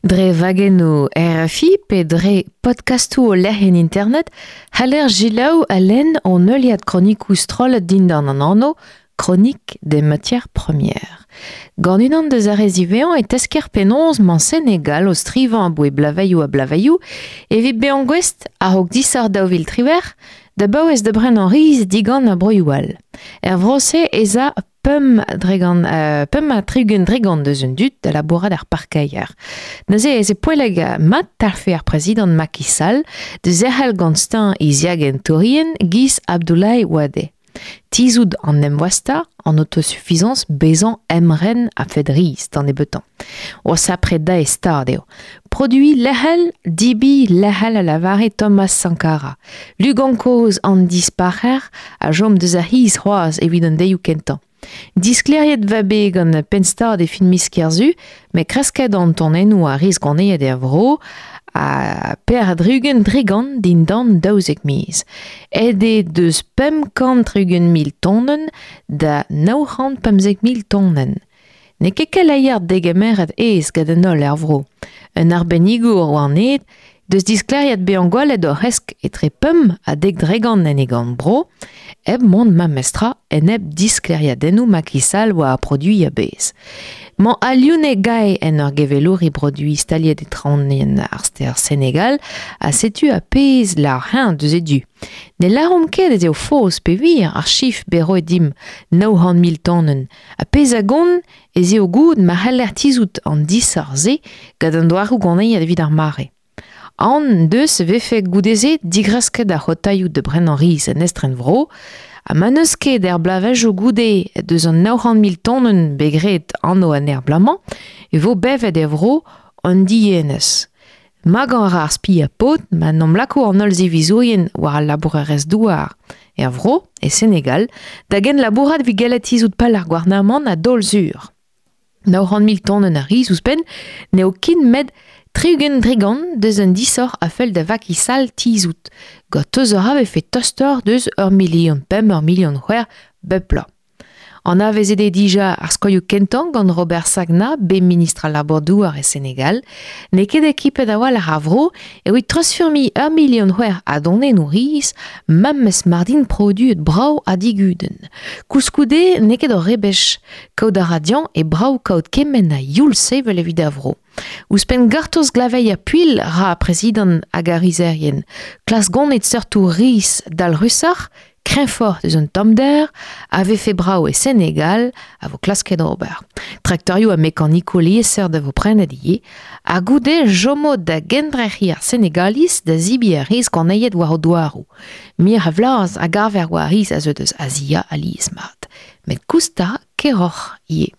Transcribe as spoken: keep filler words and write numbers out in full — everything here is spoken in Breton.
Dre wagennoù R F I pe dre podcastoù o lec'hienn internet c'haller selaou ha lenn an heuliad kronikoù strollet dindan an anv Chronique des matières premières. Gant unan deus ar re ziwezhañ e tesker penaos mañ Senegal o strivañ aboe blavaioù ha blavaioù evit bezañ gouest a-raok disoc'h daou vil triwec'h da baouez da brenañ riz digant ar broioù all. Er vro-se ez a pemp dregant, euh, pemp ha tri-ugent dregant deus un dud da labourat ar parkeier. Neuze ez e poellek mat talfe ar prezidant Macky Sall da zerc'hel gant steuñv e ziagentourien giz Abdoulaye Wade. Tizhout an emvoastañ, an autosuffisance bezañ emren a fed riz d'an nebeutañ. O sapre da e stad eo. Produit lec'hel, dibi lec'hel a lavare Thomas Sankara. Lugan kozh an dispac'her a chom deus ar c'hiz c'hoazh evit an deioù kentañ. Disklêriet va bet gant penn-stad e fin miz Kerzu, met kresket an tonennoù a riz ganeet er vro a per a-dri-ugent dregant dindan daouzek miz. Aet eo deus pemp kant tri-ugent mil tonenn da nav c'hant pemzek mil tonenn. N'eo ket keleier degemeret aes gant an holl er vro. Un arbennigour war an hed deus disklêriet bezañ gwelet ur c'hresk etre pemp ha dek dregant en e gant bro, hep mont memestra en hep disklêriadennoù Macky Sall war ar produiñ a-bezh. Mañ Alioune Gae en ur gevelouri produiñ staliet e traoñienn ar stêr Senegal a setu a pezh lar heñ deus e du. Ne lâromp ket ez eo faos pe wir ar chif bet roet dimp nav c'hant mil tonenn. A pezh a gont ez eo goût ma c'heller tizhout an disoc'h-se gant an doareoù ganeet evit ar mare. An deus vefe goude-se digresket ar c'hotaioù da brenañ riz en estrenvro, ha ma n'eus ket er blavezhioù goude deus an nav c'hant mil tonenn bet graet anv an er bloaz-mañ, e vo bevet er vro an dienez. Magañ a ra ar spi ha paotr ma n'omp lako an holl zivizourien war al labourerezh douar er vro, e Senegal, da gent labourat evit gellet tizhout pal ar gouarnamant a daol sur. Nav c'hant mil tonenn a riz ouzhpenn n'eo ken met tri-ugent dregant deus un disoc'h a fell da Macky Sall tizhout. Gant teus a vefe tostoc'h deus ur milion pemp, ur milion c'hwec'h bep bloaz. Anavezet eo dija ar skoioù kentañ gant Robert Sagna, bet ministr al labour-douar e Senegal, n'eo ket ekipet a-walc'h ar vro evit treuzfurmiñ ur milion c'hwec'h a donennoù riz, memes mar dint produet brav ha digudenn. Koulskoude n'eo ket ur rebech, kaout a ra dezhañ e brav kaout kement a youl sevel evit ar vro. Ouzhpenn gortoz glaveier puilh ra prezidant hag ar rizerien. Klask gonit seurtoù riz dalc'husoc'h, kreñvoc'h deus un tommder, a vefe brav e Senegal a vo klasket ober. Traktorioù ha mekanikoù liesseurt a vo prenet ivez, ha goude chomo da gendrec'hiñ ar Senegaliz da zebriñ ar riz ganeet war o douaroù. Mir a vlaz a gaver war riz a zeu deus Azia alies-mat. Met koustañ keroc'h ivez.